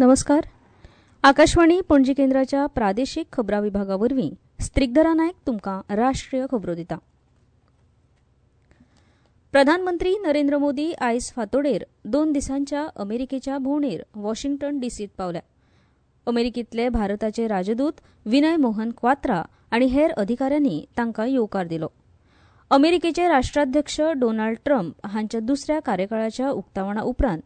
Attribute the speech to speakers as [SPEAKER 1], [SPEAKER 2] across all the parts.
[SPEAKER 1] नमस्कार. आकाशवाणी पणजी केंद्राच्या प्रादेशीक खबरां विभागा वरवीं स्त्रिगधरा नायक तुमकां राष्ट्रीय खबरो दिता. प्रधानमंत्री नरेंद्र मोदी आयज फांतोडेर 2 दिसांच्या अमेरिकेच्या भोंवडेर वॉशिंग्टन डीसीत पावल्या. अमेरिकेंतले भारताचे राजदूत विनय मोहन क्वात्रा आनी हेर अधिकाऱ्यांनी तांकां येवकार दिलो. अमेरिकेचे राष्ट्राध्यक्ष डोनाल्ड ट्रम्प हांच्या दुसऱ्या कार्यकाळाच्या उक्तावणा उपरांत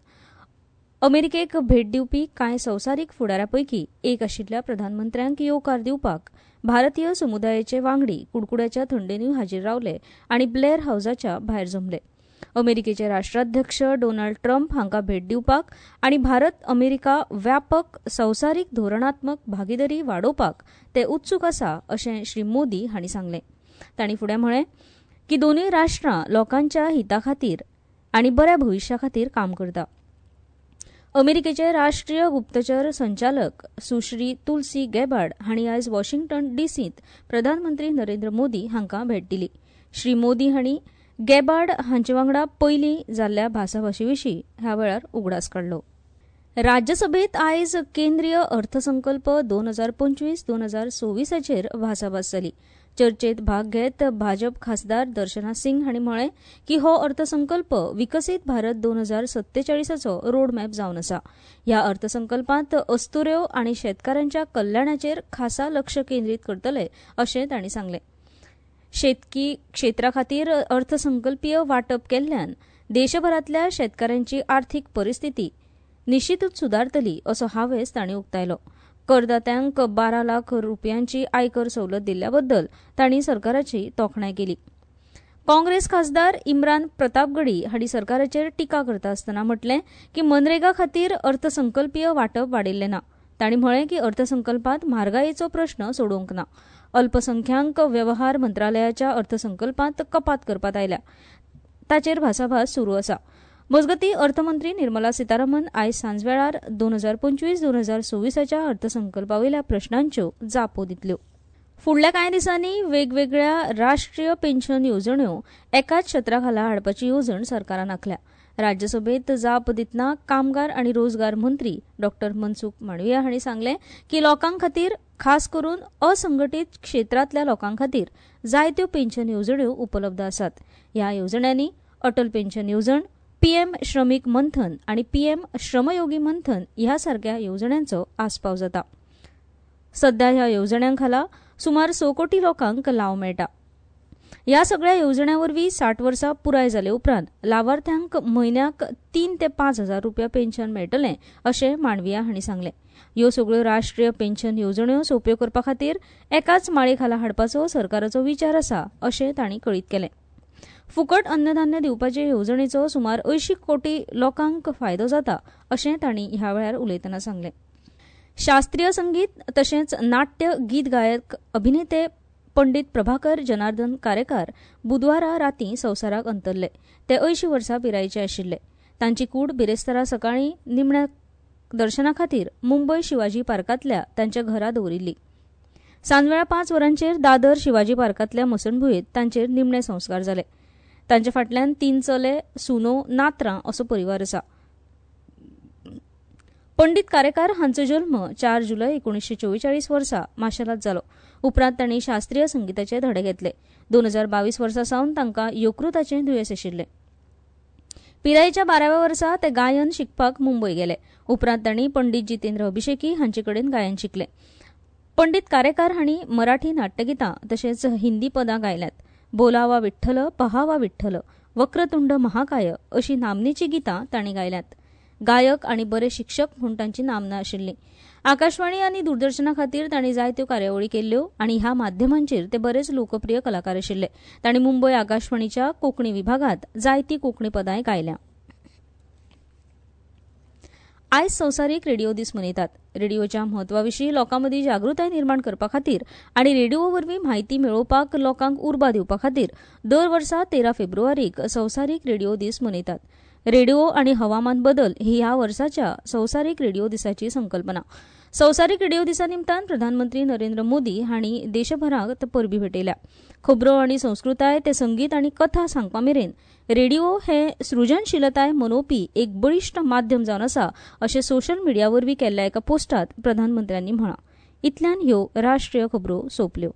[SPEAKER 1] अमेरिकेक भेट दिवपी कांय संवसारीक फुडाऱ्यां पैकी एक आशिल्ल्या प्रधानमंत्र्यांक येवकार दिवपाक भारतीय समुदायाचे वांगडी कुडकुड्याच्या थंडेनूय हाजीर रावले आनी ब्लेअर हावजाच्या भायर जमले. अमेरिकेचे राष्ट्राध्यक्ष डोनाल्ड ट्रम्प हांकां भेट दिवपाक आनी भारत अमेरिका व्यापक संवसारीक धोरणात्मक भागिदारी वाडोवपाक ते उत्सूक आसा अशें श्री मोदी हांणी सांगलें. तांणी फुडें म्हळें की दोनूय राष्ट्रां लोकांच्या हिता खातीर आनी बऱ्या भविश्या खातीर काम करता. अमेरिकेचे राष्ट्रीय गुप्तचर संचालक सुश्री तुलसी गॅबार्ड हांणी आयज वॉशिंग्टन डीसींत प्रधानमंत्री नरेंद्र मोदी हांकां भेट दिली. श्री मोदी हांणी गॅबार्ड हांचे वांगडा पयलीं जाल्ल्या भासाभाशे विशीं ह्या वेळार उगडास काडलो. राज्यसभेत आयज केंद्रीय अर्थसंकल्प 2025-2026 भासाभास जाली. चर्चेत भाग घेत भाजप खासदार दर्शना सिंग हांणी म्हळें की हो अर्थसंकल्प विकसीत भारत 2047चो रोडमॅप जावन आसा. ह्या अर्थसंकल्पांत अस्तुऱ्यो आनी शेतकारांच्या कल्याणाचेर खासा लक्ष केंद्रीत करतले अशें तांणी सांगलें. शेतकी क्षेत्रा खातीर अर्थसंकल्पीय वांटप केल्ल्यान देशभरांतल्या शेतकारांची आर्थीक परिस्थिती निश्चितूच सुदारतली असो हावेस तांणी उक्तायलो. करदात्यांक 12 लाख रुपयांची आयकर सवलत दिल्ल्याबद्दल तांणी सरकाराची तोखणाय केली. काँग्रेस खासदार इम्रान प्रतापगडी हांणी सरकाराचेर टिका करता आसतना म्हटलें की मनरेगा खातीर अर्थसंकल्पीय वांटप वाडिल्लें ना. तांणी म्हळें की अर्थसंकल्पांत म्हारगायेचो प्रश्न सोडोवंक ना. अल्पसंख्याक वेव्हार मंत्रालयाच्या अर्थसंकल्पांत कपात करपात आयल्या, ताचेर भासाभास सुरू आसा. मजगतीं, अर्थमंत्री निर्मला सीतारामन आयज सांजवेळार 2025-2026 अर्थसंकल्पावेल्या प्रश्नांच्यो जापो दितल्यो. फुडल्या कांय दिसांनी वेगवेगळ्या राष्ट्रीय पेन्शन येवजण्यो एकाच छत्रा खाला हाडपाची येवजण सरकारान आंखल्या. राज्यसभेत जाप दितना कामगार आनी रोजगार मंत्री डॉ मनसुख मांडविया हांणी सांगलें की लोकां खातीर, खास करून असंघटीत क्षेत्रांतल्या लोकां खातीर जायत्यो पेन्शन येवजण्यो उपलब्ध आसात. ह्या येवजण्यांनी अटल पेन्शन येवजण, पीएम श्रमीक मंथन आनी पीएम श्रमयोगी मंथन ह्या सारक्या येवजण्यांचो आस्पाव जाता. सध्या ह्या येवजण्यां खाला सुमार 6 कोटी लोकांक लाव मेळटा. ह्या सगळ्या येवजण्यां वरवीं 60 वर्सां पुराय जाले उपरांत लावार्थ्यांक म्हयन्याक 3 ते 5 हजार रुपया पेन्शन मेळटलें अशें मांडविया हांणी सांगलें. ह्यो सगळ्यो राष्ट्रीय पेन्शन येवजण्यो सोंप्यो करपा खातीर एकाच माळे खाला हाडपाचो सरकाराचो विचार आसा अशें तांणी कळीत केलें. फुकट अन्नधान्य दिवपाचे येवजणेचो सुमार 80 कोटी लोकांक फायदो जाता अशें तांणी ह्या वेळार उलयतना सांगलें. शास्त्रीय संगीत तशेंच नाट्य गीत गायक अभिनेते पंडित प्रभाकर जनार्दन कारेकार बुधवारा रातीं संवसाराक अंतरले. ते 80 वर्सां पिरायेचे आशिल्ले. तांची कूड बिरेस्तारा सकाळीं निमण्या दर्शना खातीर मुंबय शिवाजी पार्कांतल्या तांच्या घरा दवरिल्ली. सांजवेळा 5 वरांचेर दादर शिवाजी पार्कांतल्या मसणभुंयेंत तांचेर निमणे संस्कार जाले. तांच्या फाटल्यान 3 चले, सुनो, नातरां असो परिवार आसा. पंडित कारेकार हांचो जल्म 4 जुलय 1944 वर्सा माशेलांत जालो. उपरांत तांणी शास्त्रीय संगीताचे धडे घेतले. 2022 वर्सा सावन तांकां यकृताचें दुयेंस आशिल्लें. पिरायेच्या 12व्या वर्सा ते गायन शिकपाक मुंबय गेले. उपरांत तांणी पंडित जितेंद्र अभिषेकी हांचे कडेन गायन शिकले. पंडित कारेकार हांणी मराठी नाट्यगितां तशेंच हिंदी पदां गायल्यांत. बोलावा विठ्ठल, पहावा विठ्ठल, वक्रतुंड महाकाय अशी नामनेची गितां तांणी गायल्यांत. गायक आनी बरे शिक्षक म्हूण तांची नामना आशिल्ली. आकाशवाणी आनी दूरदर्शना खातीर तांणी जायत्यो कार्यावळी केल्ल्यो आनी ह्या माध्यमांचेर ते बरेच लोकप्रिय कलाकार आशिल्ले. तांणी मुंबय आकाशवाणीच्या कोंकणी विभागांत जायतीं कोंकणी पदांय गायल्या. आयज संवसारीक रेडिओ दीस मनयतात. रेडिओच्या म्हत्वाविशीं लोकांमदीं जागृताय निर्माण करपा खातीर आनी रेडिओ वरवीं म्हायती मेळोवपाक लोकांक उर्बा दिवपा खातीर दर वर्सा 13 फेब्रुवारीक संवसारीक रेडिओ दीस मनयतात. रेडिओ आनी हवामान बदल ही ह्या वर्साच्या संवसारीक रेडिओ दिसाची संकल्पना. संवसारीक रेडिओ दिसा निमतान प्रधानमंत्री नरेंद्र मोदी हांणी देशभराक परबीं भेटयल्या. खबरो आनी संस्कृताय ते संगीत आनी कथा सांगपा मेरेन रेडिओ हे सृजनशीलताय मनोवपी एक बळिश्ट माध्यम जावन आसा अशें सोशल मिडिया वरवीं केल्ल्या एका पोस्टांत प्रधानमंत्र्यांनी म्हळां. इतल्यान ह्यो राष्ट्रीय खबरो सोंपल्यो.